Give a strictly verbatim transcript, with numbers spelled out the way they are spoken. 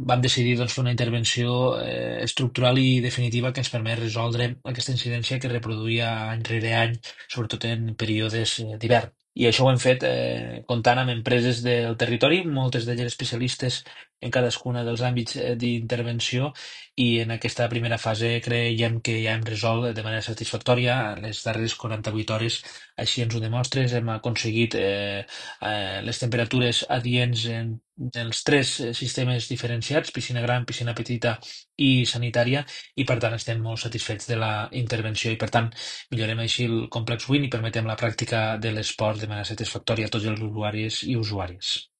vam decidir doncs, fer una intervenció eh, estructural i definitiva que ens permet resoldre aquesta incidència que reproduïa any rere any, sobretot en períodes eh, d'hivern. I això ho hem fet eh, comptant amb empreses del territori, moltes d'elles especialistes en cadascuna dels àmbits eh, d'intervenció, i en aquesta primera fase creiem que ja hem resolt de manera satisfactòria les darreres quaranta-vuit hores. Així ens ho demostres, hem aconseguit eh, eh, les temperatures adients en els tres eh, sistemes diferenciats, piscina gran, piscina petita i sanitària, i per tant estem molt satisfets de la intervenció i per tant millorem així el complex Win i permetem la pràctica de l'esport de manera satisfactòria a tots els usuaris i usuàries.